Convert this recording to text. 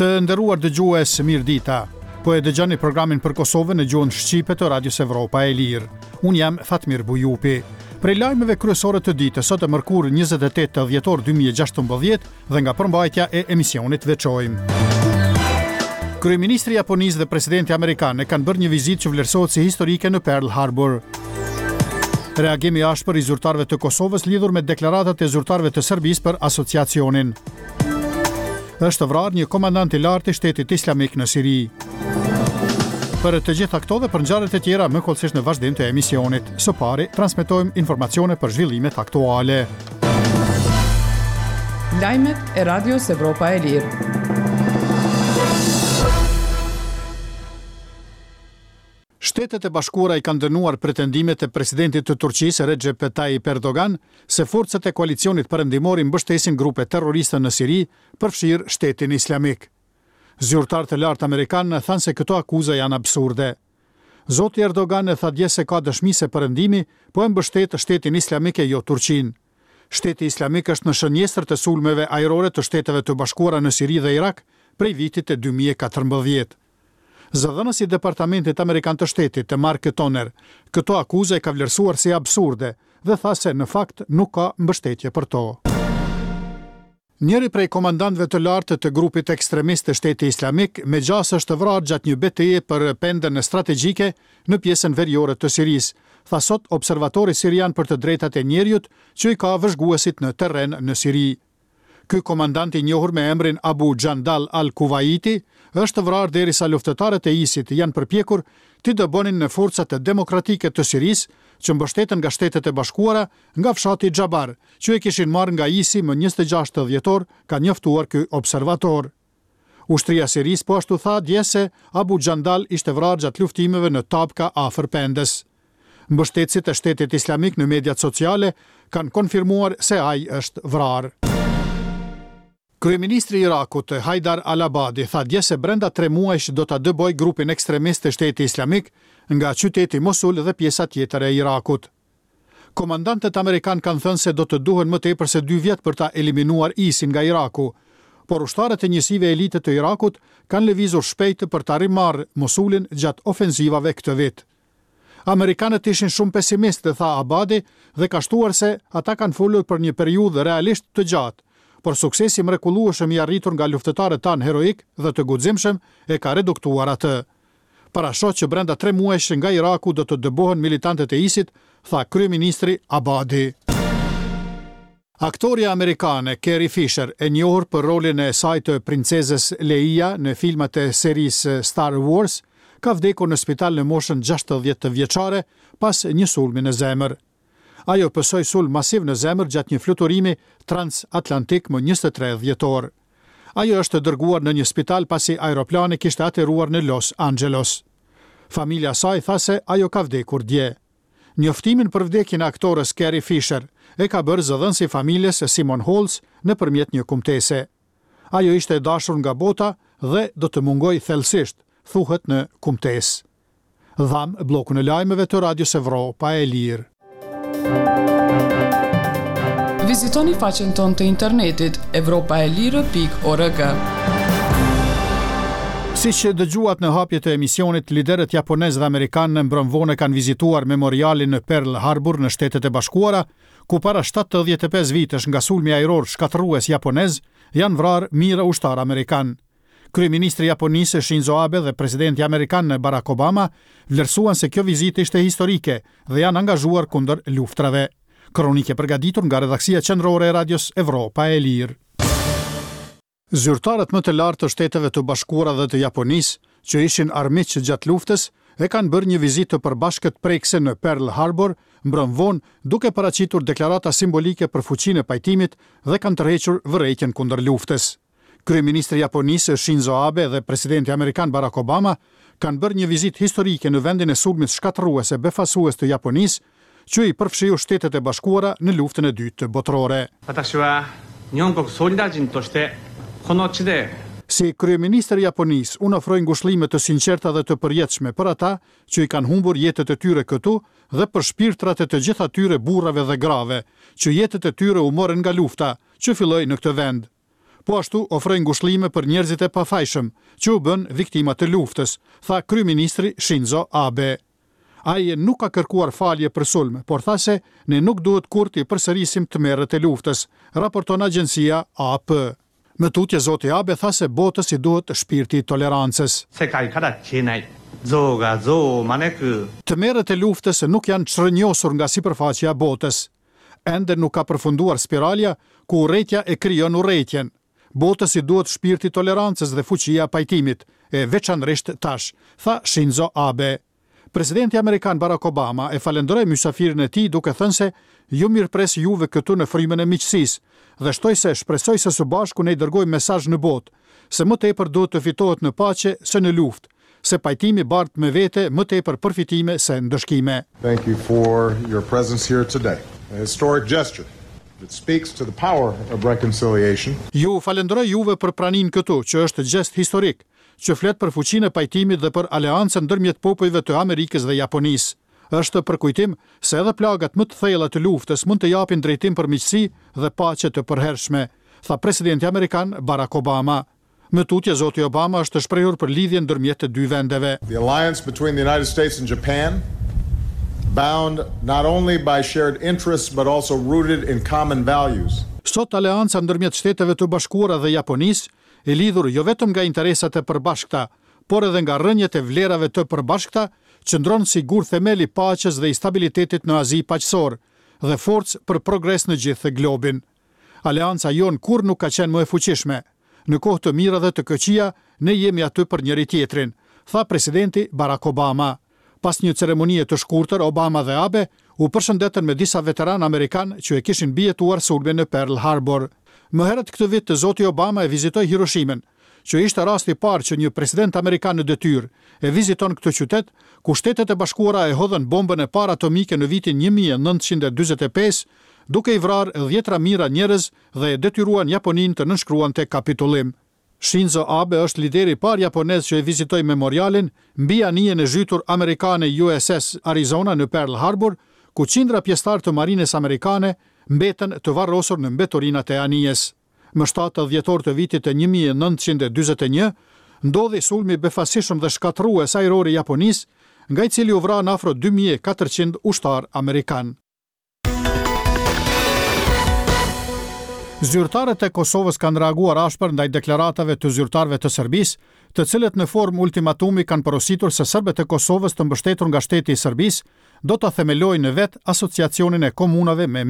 Të nderuar dëgjues, mirëdita. Po e dëgjoni programin për Kosovën në gjuhën shqipe të Radios Evropa e Lirë. Unë jam Fatmir Bujupi. Prej lajmeve kryesore të ditës sot e mërkurë 28 dhjetor 2016 dhe nga përmbajtja e emisionit veçojmë. Kryeministri i Japonisë dhe presidenti amerikan e kanë bërë një vizitë që vlerësohet si historike në Pearl Harbor. Reagim i ashpër i zyrtarëve të Kosovës lidhur me deklaratat e zyrtarëve të Serbisë për asociacionin. Është vrarë një komandant i lartë i Shtetit Islamik në Siri. Për të gjitha këto dhe për ngjarjet e tjera më hollësisht në vazhdim të emisionit. Së pari, transmetojmë informacione për zhvillimet aktuale. Lajmet e Radios Evropa e Lirë. Shtetet e Bashkuara i kanë dënuar pretendimet e presidentit të Turqisë, Rexhep Tajip Erdogan, se forcat e koalicionit perëndimor i mbështesin grupet terroriste në Siri, përfshirë Shtetin Islamik. Zyrtarë të lartë amerikanë thanë se këto akuza janë absurde. Zoti Erdogan tha dje se ka dëshmi se Perëndimi po e mbështet Shtetin Islamik e jo Turqinë. Shteti Islamik është në shënjestër të sulmeve ajrore të Shteteve të Bashkuara në Siri dhe Irak prej vitit 2014. Zëdhënësi i Departamentit Amerikan të Shtetit, Mark Toner, këto akuza i ka vlerësuar si absurde dhe tha se në fakt nuk ka mbështetje për to. Njëri prej komandantëve të lartë të grupit ekstremist të Shteti Islamik me gjasë është vrarë gjatë një beteje për pendën strategjike në pjesën veriore të Sirisë, tha sot Observatori Sirian për të Drejtat e Njeriut që i ka vëzhguesit në terren në Siri. Ky komandant i njohur me emrin Abu Jandal al-Kuwaiti është vrarë derisa luftëtarët e ISIS-it janë përpjekur t'i dëbonin forcat demokratike të Sirisë që mbështeten nga Shtetet e Bashkuara nga fshati Xhabar, që e kishin marrë nga ISI më 26 dhjetor, ka njoftuar ky observator. Ushtria e Sirisë po ashtu tha dje se Abu Jandal ishte vrarë gjatë luftimeve në Tabka afër Pendës. Mbështetësit e Shtetit Islamik në mediat sociale kanë konfirmuar se ai është vrarë. Kryeministri i Irakut, Haidar al-Abadi, tha dje se brenda tre muajsh do ta dëbojë grupin ekstremist të Shteti Islamik nga qyteti Mosul dhe pjesa tjetër e Irakut. Komandantët amerikanë kanë thënë se do të duhen më tepër se dy vjet për ta eliminuar ISIS-in nga Iraku, por ushtarët e njësive elite të Irakut kanë lëvizur shpejt për ta rimarrë Mosulin gjatë ofenzivave këtë vit. Amerikanët ishin shumë pesimistë, tha Abadi dhe ka shtuar se ata kanë folur për një periudhë realisht të gjatë, por suksesi i mrekullueshëm i arritur nga luftëtarët tanë heroikë dhe të guximshëm e ka reduktuar atë. Parashoh që brenda tre muajsh nga Iraku do të dëbohen militantët e ISIS-it, tha kryeministri Abadi. Aktorja amerikane Carrie Fisher, e njohur për rolin e saj të princezës Leia në filmat e serisë Star Wars, ka vdekur në spital në moshën 60 vjeçare pas një sulmi në zemër. Ajo pësoi sulm masiv në zemër gjatë një fluturimi transatlantik më 23 dhjetor. Ajo është dërguar në një spital pasi aeroplani kishte ateruar në Los Angeles. Familja e saj tha se ajo ka vdekur dje. Njoftimin për vdekjen e aktores Carrie Fisher e ka bërë zëdhënësi i familjes Simon Holtz nëpërmjet një kumtese. Ajo ishte e dashur nga bota dhe do të mungojë thellësisht, thuhet në kumtesë. Dhamë bllokun e lajmeve të Radios Evropa e Lirë. Vizitoni faqen tonë të internetit evropaelire.org. Siç dëgjuat në hapje të emisionit, liderët japonezë dhe amerikanë mbrëmë vonë kanë vizituar memorialin në Pearl Harbor në Shtetet e Bashkuara, ku para 75 vitesh nga sulmi ajror shkatërrues japonez janë vrarë mijëra ushtarë amerikanë. Kryeministri i Japonisë Shinzo Abe dhe presidenti amerikan Barack Obama vlerësuan se kjo vizitë ishte historike dhe janë angazhuar kundër luftrave. Kronikë e përgatitur nga redaksia qendrore e Radios Evropa e Lirë. Zyrtarët më të lartë të Shteteve të Bashkuara dhe të Japonisë, që ishin armiq gjatë luftës, e kanë bërë një vizitë të përbashkët prekëse në Pearl Harbor mbrëmë vonë, duke paraqitur deklarata simbolike për fuqinë e pajtimit dhe kanë tërhequr vërejtjen kundër luftës. Kryeministri i Japonisë, Shinzo Abe dhe presidenti amerikan Barack Obama kanë bërë një vizitë historike në vendin e sulmit shkatërrues e befasues të Japonisë, që i përfshiu Shtetet e Bashkuara në Luftën e Dytë Botërore. Si kryeministër i Japonisë, unë ofroj ngushëllime të sinqerta dhe të përjetshme për ata që i kanë humbur jetët e tyre këtu dhe për shpirtrat e të gjithë atyre burrave dhe grave, që jetët e tyre u morën nga lufta, që filloi në këtë vend. Po ashtu ofroj ngushëllime për njerëzit e pafajshëm, që u bënë viktima të luftës, tha kryeministri Shinzo Abe. Ai nuk ka kërkuar falje për sulm, por tha se ne nuk duhet kurrë t'i përsërisim tmerret e luftës, raporton agjencia AP. Më tutje zoti Abe tha se botës i duhet shpirti i tolerancës. Tmerret e luftës nuk janë çrrënjosur nga sipërfaqja e botës. Ende nuk ka përfunduar spiralja ku urrejtja e krijon urrejtjen. Botës i duhet shpirti i tolerancës dhe fuqia e pajtimit, e veçanërisht tash, tha Shinzo Abe. Presidenti amerikan Barack Obama e falënderoi mysafirin e tij duke thënë se ju mirëpres juve këtu në frymën e miqësisë dhe shtoi se shpresoj se së bashku ne dërgojmë mesazh në botë se më tepër duhet të fitohet në paqe se në luftë, se pajtimi bart me vete më tepër përfitime se ndëshkime. Thank you for your presence here today. A historic gesture that speaks to the power of reconciliation. Ju falënderoj juve për praninë këtu, që është gjest historik, që flet për fuqinë e pajtimit dhe për aleancën ndërmjet popujve të Amerikës dhe Japonisë. Është përkujtim se edhe plagat më të thella të luftës mund të japin drejtim për miqësi dhe paqe të përhershme, tha presidenti amerikan Barack Obama. Më tutje zoti Obama është shprehur për lidhjen ndërmjet të dy vendeve. The alliance between the United States and Japan, bound not only by shared interests but also rooted in common values. Sot aleanca ndërmjet Shteteve të Bashkuara dhe Japonisë, e lidhur jo vetëm nga interesat e përbashkëta, por edhe nga rrënjët e vlerave të përbashkëta, qëndron si gur themel i paqes dhe i stabilitetit në Azi Paqësor dhe forcë për progres në gjithë globin. Aleanca jonë kurrë nuk ka qenë më e fuqishme. Në kohë të mira dhe të këqija, ne jemi aty për njëri-tjetrin, tha presidenti Barack Obama. Pas një ceremonie të shkurtër, Obama dhe Abe u përshëndetën me disa veteranë amerikanë që e kishin mbijetuar sulmin në Pearl Harbor. Më herët këtë vit, zoti Obama e vizitoi Hiroshimën, që ishte rasti i parë që një president amerikan në detyrë e viziton këtë qytet, ku Shtetet e Bashkuara e hodhën bombën e parë atomike në vitin 1945, duke i vrarë dhjetëra mijëra njerëz dhe e detyruan Japoninë të nënshkruante kapitullim. Shinzo Abe është lideri i parë japonez që e vizitoi memorialin mbi anijen e zhytur amerikane USS Arizona në Pearl Harbor, ku qindra pjesëtarë të marinës amerikane mbetën të varrosur në mbeturinat e anijes. Më 7 dhjetor të vitit të 1941, ndodhi sulmi i befasishëm dhe shkatërrues ajror i Japonisë, nga i cili u vranë afro 2400 ushtarë amerikanë. Zyrtarët e Kosovës kanë reaguar ashpër ndaj deklaratave të zyrtarëve të Serbisë, të cilët në formë ultimatumi kanë porositur se serbët e Kosovës të mbështetur nga shteti i Serbisë do ta themelojnë vetë asociacionin e komunave me.